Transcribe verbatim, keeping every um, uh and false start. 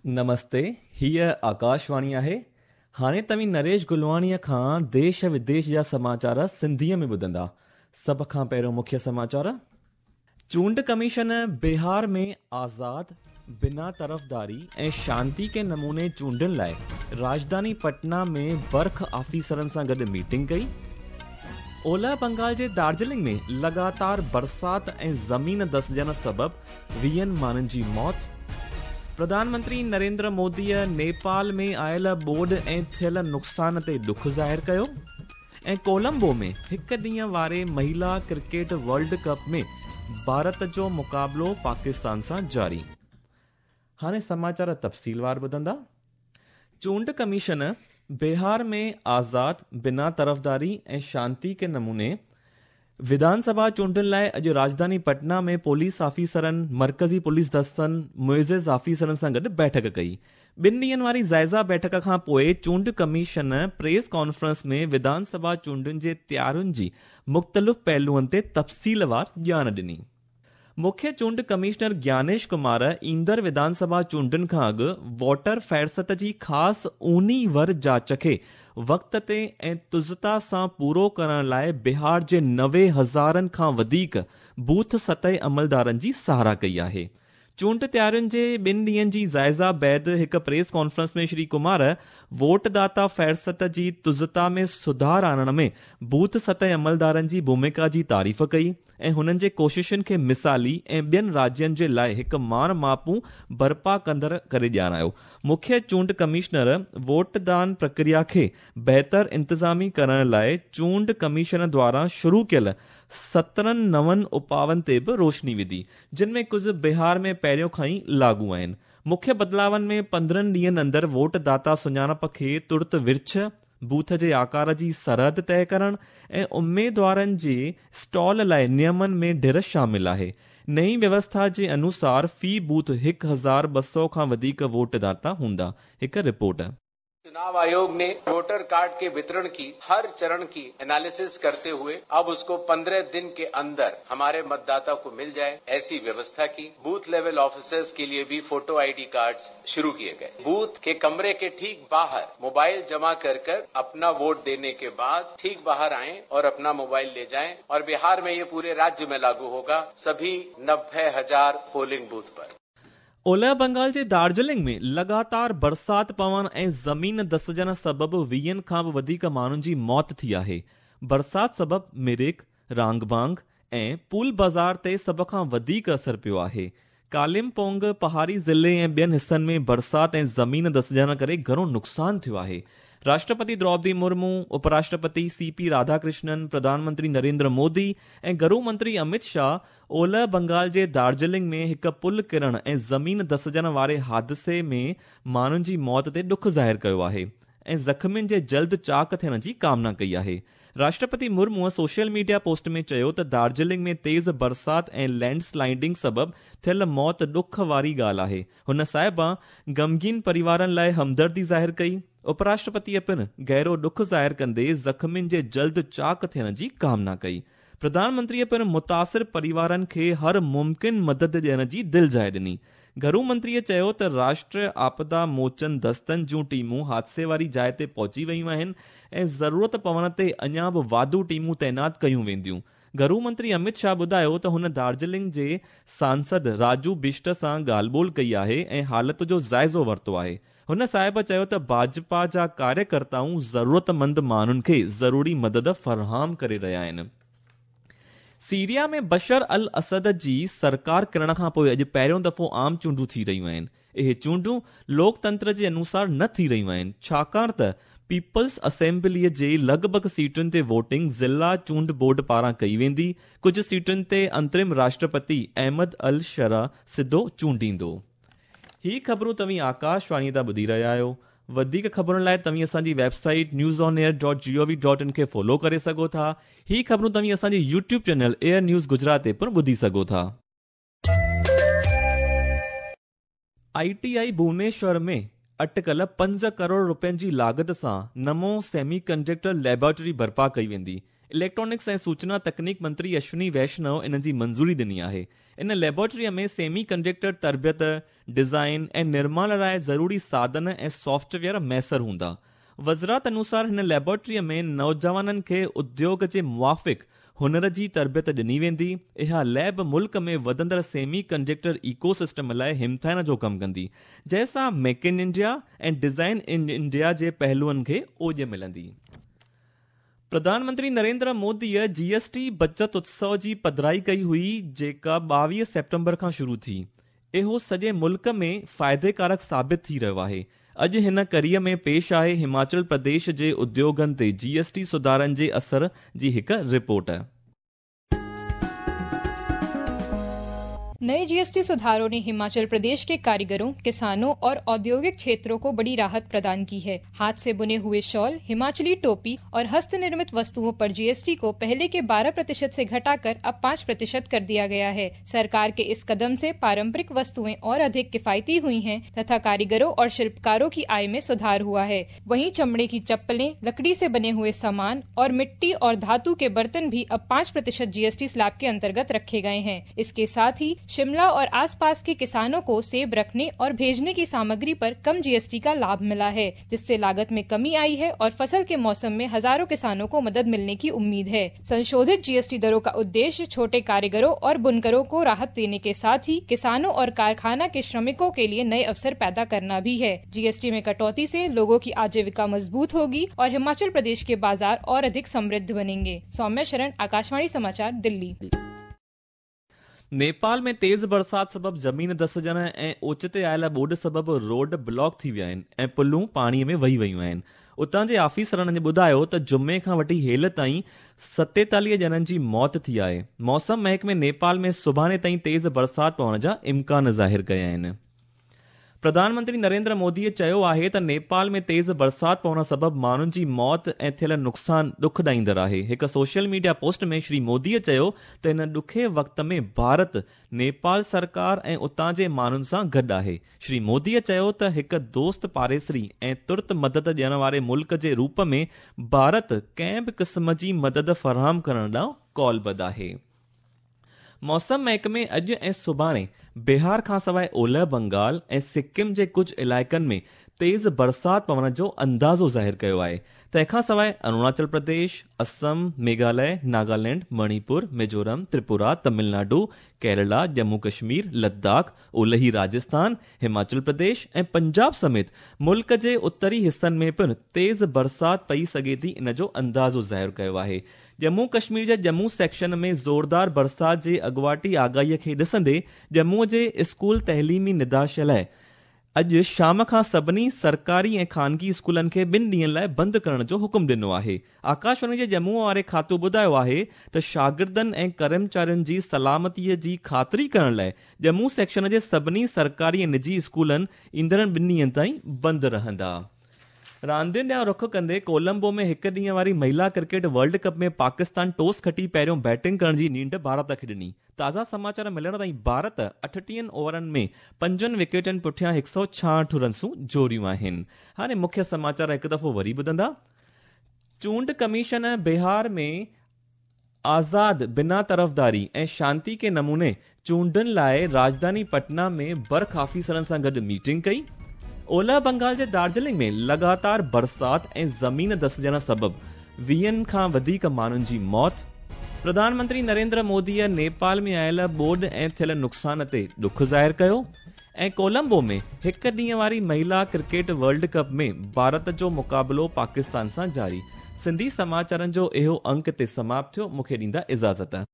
نمستي، هيء آڪاشواڻي آهي. هاڻي توهين نريش گلواڻيء کان ديش وديش جا سماچار سنڌيء ۾ ٻڌندا. سڀ کان پهريون مکيه سماچار. چونڊ ڪميشن بهار ۾ آزاد، بنا طرفداري ۽ شانتي ڪي نموني چونڊن لاءِ راڄڌاني پٽنا ۾ برک آفيسرن سان گڏ ميٽنگ ڪئي. اولهه بنگال جي دارجلنگ ۾ لڳاتار برسات ۽ زمين دسجڻ سبب ويهن ماڻهن جي موت. پرڌان منتري نريندر موديء نيپال ۾ آيل ٻوڏ ۽ ٿيل نقصان تي ڏک ظاهر ڪيو. ۽ ڪولمبو ۾ هڪ ڏينهن واري مهلا ڪرڪيٽ ورلڊ ڪپ ۾ ڀارت جو مقابلو پاڪستان سان جاري. هاڻي سماچار تفصيلوار ٻڌندا. چونڊ ڪميشن بهار ۾ آزاد، بنا طرفداري ۽ شانتي ڪي نموني وڌان سڀا چونڊن لاءِ اڄ راڄڌاني پٽنا ۾ پوليس آفيسرن، مرڪزي پوليس دستن، معزز آفيسرن سان گڏ بيٺڪ ڪئي. ٻن ڏينهن واري جائزه بيٺڪ کان پوءِ چونڊ ڪميشن پريس ڪانفرنس ۾ وڌان سڀا چونڊن جي تيارين جي مختلف پهلوئن تي تفصيلوار ڄاڻ ڏني. مکيه چونڊ ڪمشنر گيانيش ڪمار ايندڙ وڌان سڀا چونڊن کان اڳ ووٽر فهرست جي خاص اونهي ور جاچ کي وقت تي ۽ تزتا سان پورو ڪرڻ لاءِ بهار جي نوي هزارن کان وڌيڪ بوٿ سطح عملدارن جي ساراهه ڪئي آهي. چونڊ تيارين جي ٻن ڏينهن جي جائزه بعد هڪ press conference ۾ Shri Kumar vote داتا فهرست جي تزتا ۾ سڌار آڻڻ ۾ بوٿ سطح عملدارن جي ڀومڪا جي تعريف ڪئي ۽ هنن جي ڪوششن کي مثالي ۽ ٻين راجين جي لاءِ هڪ ماڻ ماپون برپا ڪندڙ ڪري ڄاڻايو. مکيه چونڊ ڪمشنر ووٽ دان پرڪريا کي بهتر انتظامي ڪرڻ لاءِ چونڊ ڪميشن دواران شروع ڪيل سترهن نون اپائن تي به روشني وڌي، جن ۾ ڪجهه بهار ۾ پهريون کان ئي لاڳو آهن. مکيه بدلاون ۾ پندرهن ڏينهن اندر ووٽ داتا سڃاڻپ کي ترت ورڇ، بوٿ جي آڪار جي سرحد طئي ڪرڻ ۽ اميدوارن جي اسٽال لاءِ نيمن ۾ ڍر شامل آهي. نئين ويوسٿا جي انوسار في بوٿ هڪ هزار ٻه سؤ کان وڌيڪ ووٽ داتا هوندا. هڪ رپورٽ. चुनाव आयोग ने वोटर कार्ड के वितरण की हर चरण की एनालिसिस करते हुए अब उसको पंद्रह दिन के अंदर हमारे मतदाता को मिल जाए ऐसी व्यवस्था की। बूथ लेवल ऑफिसर्स के लिए भी फोटो आईडी कार्ड्स शुरू किए गए। बूथ के कमरे के ठीक बाहर मोबाइल जमा कर कर अपना वोट देने के बाद ठीक बाहर आएं और अपना मोबाइल ले जाएं। और बिहार में ये पूरे राज्य में लागू होगा, सभी नब्बे हजार पोलिंग बूथ पर। اولهه بنگال جي دارجلنگ ۾ لڳاتار برسات پوڻ ۽ زمين دسجڻ سبب ويهن کان به وڌيڪ ماڻهن جي موت ٿي آهي. برسات سبب مرڪ، رانگبانگ ۽ پول بازار تي سڀ کان وڌيڪ اثر پيو آهي. ڪالمپونگ پهاڙي ضلعي ۽ ٻين حصن ۾ برسات ۽ زمين دسجڻ ڪري گهڻو نقصان ٿيو آهي. راشٽرپتي دروپدي مرمو، اپراشٽرپتي سي پي راڌاڪرشنن، پرڌان منتري نريندر مودي ۽ گهرو منتري امت شاهه اولهه بنگال جي دارجلنگ ۾ هڪ پل ڪرڻ ۽ زمين دسجڻ واري حادثي ۾ ماڻهن جي موت تي ڏک ظاهر ڪيو آهي ۽ زخمين جي جلد چاڪ ٿيڻ جي ڪامنا ڪئي آهي. راشٽرپتي مرموءَ social media post ۾ چيو ته دارجلنگ ۾ تيز برسات ۽ لينڊ سلائيڊنگ سبب ٿيل موت ڏک واري ڳالهه آهي. هن صاحبان غمگين پريوارن لاءِ همدردي ظاهر ڪئي. اپراشٽرپتيءَ پڻ گهرو ڏک ظاهر ڪندي زخمين جي جلد چاڪ ٿيڻ جي ڪامنا ڪئي. پرڌان منتريءَ پڻ متاثر پريوارن کي هر ممڪن مدد ڏيڻ جي دلجاءِ ڏني. گهرو منتريءَ چيو ته راشٽريه آپدا موچن دستن جون ٽيمون حادثي واري جاءِ تي پهچي ويون آهن ۽ ضرورت پوڻ تي اڃا به واڌو ٽيمون تعينات ڪيون وينديون. گهرو منتري امت شاهه ٻڌايو ته هن دارجلنگ جي سانسد راجو بشٽ سان ڳالهه ٻولهه ڪئي آهي ۽ حالت جو جائزو ورتو آهي. هن صاحب چيو ته ڀاجپا جا ڪاريڪرتائون ضرورتمند ماڻهن کي ضروري مدد فراهم ڪري رهيا آهن. سيريا ۾ بشر ال اسد جي سرڪار ڪرڻ کان پوءِ اڄ پهريون دفعو عام چونڊون ٿي رهيون آهن. اهي چونڊون لوڪتنتر جي انوسار نه ٿي رهيون آهن، ڇاڪاڻ ته پيپلز اسيمبليءَ جي لڳ ڀڳ سيٽن تي ووٽنگ ضلع چونڊ بورڊ پاران ڪئي ويندي. ڪجهه سيٽن تي انترم راشٽرپتي احمد ال شرع سڌو چونڊيندو. هي خبرون توهين آڪاشواڻيءَ تان ٻڌي رهيا آهيو. وڌيڪ خبرن لاءِ توهين اسان جي website news on air dot G O V dot in کي فالو ڪري سگهو ٿا. هي خبرون توهين اسان جي YouTube channel air news Gujarat تي پڻ ٻڌي سگهو ٿا. I T I Bhubaneswar ۾ اٽڪل پنج ڪروڙ رپين جي لاڳت سان نمو سيمي ڪنڊڪٽر ليبارٽري برپا ڪئي ويندي. इलेक्ट्रॉनिक्स ऐं सूचना तकनीक मंत्री अश्विनी वैष्णव इन जी मंज़ूरी ॾिनी आहे। इन लैबोरेटरीअ में सेमी कंडक्टर तरबियत, डिज़ाइन ऐं निर्माण लाइ ज़रूरी साधन ऐं सॉफ्टवेयर मयसर हूंदा। वज़ारत अनुसार हिन लैबोरेटरीअ में नौजवाननि खे उद्योग जे मुआफ़िक़ हुनर जी तरबियत ॾिनी वेंदी। इहा लैब मुल्क में वधंदड़ सेमी कंडक्टर इकोसिस्टम लाइ हिमथाइण जो कमु कंदी, जंहिंसां मेक इन इंडिया ऐं डिज़ाइन इन इंडिया जे पहलुअनि खे ओॼ मिलंदी। प्रधानमंत्री नरेंद्र मोदीअ जीएसटी बचत उत्सव जी पधराई कई हुई, जेका ॿावीह सेप्टेम्बर खां शुरू थी। इहो सॼे मुल्क में फ़ाइदेकारक साबित थी रहियो आहे। अॼु हिन कड़ीअ में पेश आहे हिमाचल प्रदेश जे उद्योगनि ते जीएसटी सुधारनि जे असर जी हिकु रिपोर्ट। नए जीएसटी सुधारों ने हिमाचल प्रदेश के कारीगरों, किसानों और औद्योगिक क्षेत्रों को बड़ी राहत प्रदान की है। हाथ से बुने हुए शॉल, हिमाचली टोपी और हस्तनिर्मित वस्तुओं पर जीएसटी को पहले के बारह प्रतिशत से घटाकर अब पाँच प्रतिशत कर दिया गया है। सरकार के इस कदम से पारंपरिक वस्तुएं और अधिक किफायती हुई हैं तथा कारीगरों और शिल्पकारों की आय में सुधार हुआ है। वहीं चमड़े की चप्पलें, लकड़ी से बने हुए सामान और मिट्टी और धातु के बर्तन भी अब पाँच प्रतिशत जीएसटी स्लैब के अंतर्गत रखे गए हैं। इसके साथ ही शिमला और आसपास के किसानों को सेब रखने और भेजने की सामग्री पर कम जीएसटी का लाभ मिला है, जिससे लागत में कमी आई है और फसल के मौसम में हजारों किसानों को मदद मिलने की उम्मीद है। संशोधित जीएसटी दरों का उद्देश्य छोटे कारीगरों और बुनकरों को राहत देने के साथ ही किसानों और कारखाना के श्रमिकों के लिए नए अवसर पैदा करना भी है। जीएसटी में कटौती से लोगों की आजीविका मजबूत होगी और हिमाचल प्रदेश के बाजार और अधिक समृद्ध बनेंगे। सौम्या शरण, आकाशवाणी समाचार, दिल्ली। नेपाल में तेज़ बरसात सबबि ज़मीन धसजण ऐं ओचिते आयल ॿोॾ सबबि रोड ब्लॉक थी विया आहिनि ऐं पुलूं पाणीअ में वही वयूं आहिनि। उतां जे ऑफिसरनि ॿुधायो त जुमे खां वठी हेल ताईं सतेतालीह ॼणनि जी मौत थी आहे। मौसम महकमे नेपाल में सुभाणे ताईं तेज़ बरसात पवण जा इम्कान ज़ाहिर कया आहिनि। प्रधानमंत्री नरेंद्र मोदीअ चयो आहे त नेपाल में तेज़ बरसात पवण सबबि माण्हुनि जी मौत ऐं थियल नुक़सान ॾुख ॾाईंदड़ आहे। हिकु सोशल मीडिया पोस्ट में श्री मोदीअ चयो त हिन ॾुखे वक़्त में भारत नेपाल सरकार ऐं उतां जे माण्हुनि सां गॾु आहे। श्री मोदीअ चयो त हिकु दोस्त पाड़ेसरी ऐं तुर्त मदद ॾियण वारे मुल्क जे रूप में भारत कंहिं बि क़िस्म जी मदद फराहम करण ॾांहुं कौलबद्ध आहे। मौसम महकमे अॼु ऐं सुभाणे बिहार खां सवाइ ओलह बंगाल ऐं सिक्किम जे कुझु इलाइक़नि में तेज़ बरसात पवण जो अंदाज़ो ज़ाहिर कयो आहे। तंहिंखां सवाइ अरुणाचल प्रदेश, असम, मेघालय, नागालैंड, मणिपुर, मिज़ोरम, त्रिपुरा, तमिलनाडु, केरला, जम्मू कश्मीर, लद्दाख, ओलही राजस्थान, हिमाचल प्रदेश ऐं पंजाब समेत मुल्क जे उत्तरी हिसनि में पिणु तेज़ बरसात पई सघे थी, इन जो अंदाज़ो ज़ाहिर कयो आहे। जम्मू कश्मीर जे जम्मू सेक्शन में ज़ोरदार बरसात जे अॻुवाटी आगाहीअ खे ॾिसंदे जम्मू जे स्कूल तइलीमी निदेशालय अॼु शाम खां सभिनी सरकारी ऐं खानगी स्कूलनि खे ॿिनि ॾींहंनि लाइ बंदि करण जो हुकुम ॾिनो आहे। आकाशवाणी जे जम्मू वारे खातो ॿुधायो आहे त शागिर्दनि ऐं कर्मचारियुनि जी सलामतीअ जी ख़ातिरी करण लाइ जम्मू सेक्शन जे सभिनी सरकारी ऐं निजी स्कूलनि ईंदड़ ॿिनि ॾींहंनि ताईं बंदि रहंदा। रांदियुनि ॾांहुं रुख़ कंदे कोलंबो में हिकु ॾींहं वारी महिला cricket world cup में पाकिस्तान टॉस खटी पहिरियों बैटिंग करण जी नींड भारत खे ॾिनी। ताज़ा समाचार मिलण ताईं भारत अठटीहनि ओवरनि में पंजनि विकेटनि पुठियां हिकु सौ छाहठि रनसूं जोड़ियूं आहिनि। हाणे मुख्य समाचार हिकु दफ़ो वरी ॿुधंदा। चूंड कमीशन बिहार में आज़ाद बिना तरफ़दारी ऐं शांति के नमूने चूंडनि लाइ राजधानी पटना में बर्ख ऑफिसरनि सां गॾु मीटिंग कई। ओलह बंगाल जे दार्जिलिंग में लगातार बरसात ऐं ज़मीन धसजण सबबि वीहनि खां वधीक माण्हुनि जी मौत। प्रधानमंत्री नरेंद्र मोदीअ नेपाल में आयल ॿोॾ ऐं थियल नुक़सान ते ॾुख ज़ाहिर कयो। ऐं कोलंबो में हिकु ॾींहं वारी महिला क्रिकेट वर्ल्ड कप में भारत जो मुक़ाबिलो पाकिस्तान सां जारी। सिंधी समाचारनि जो इहो अंक ते समाप्त थियो। मूंखे ॾींदा इजाज़त।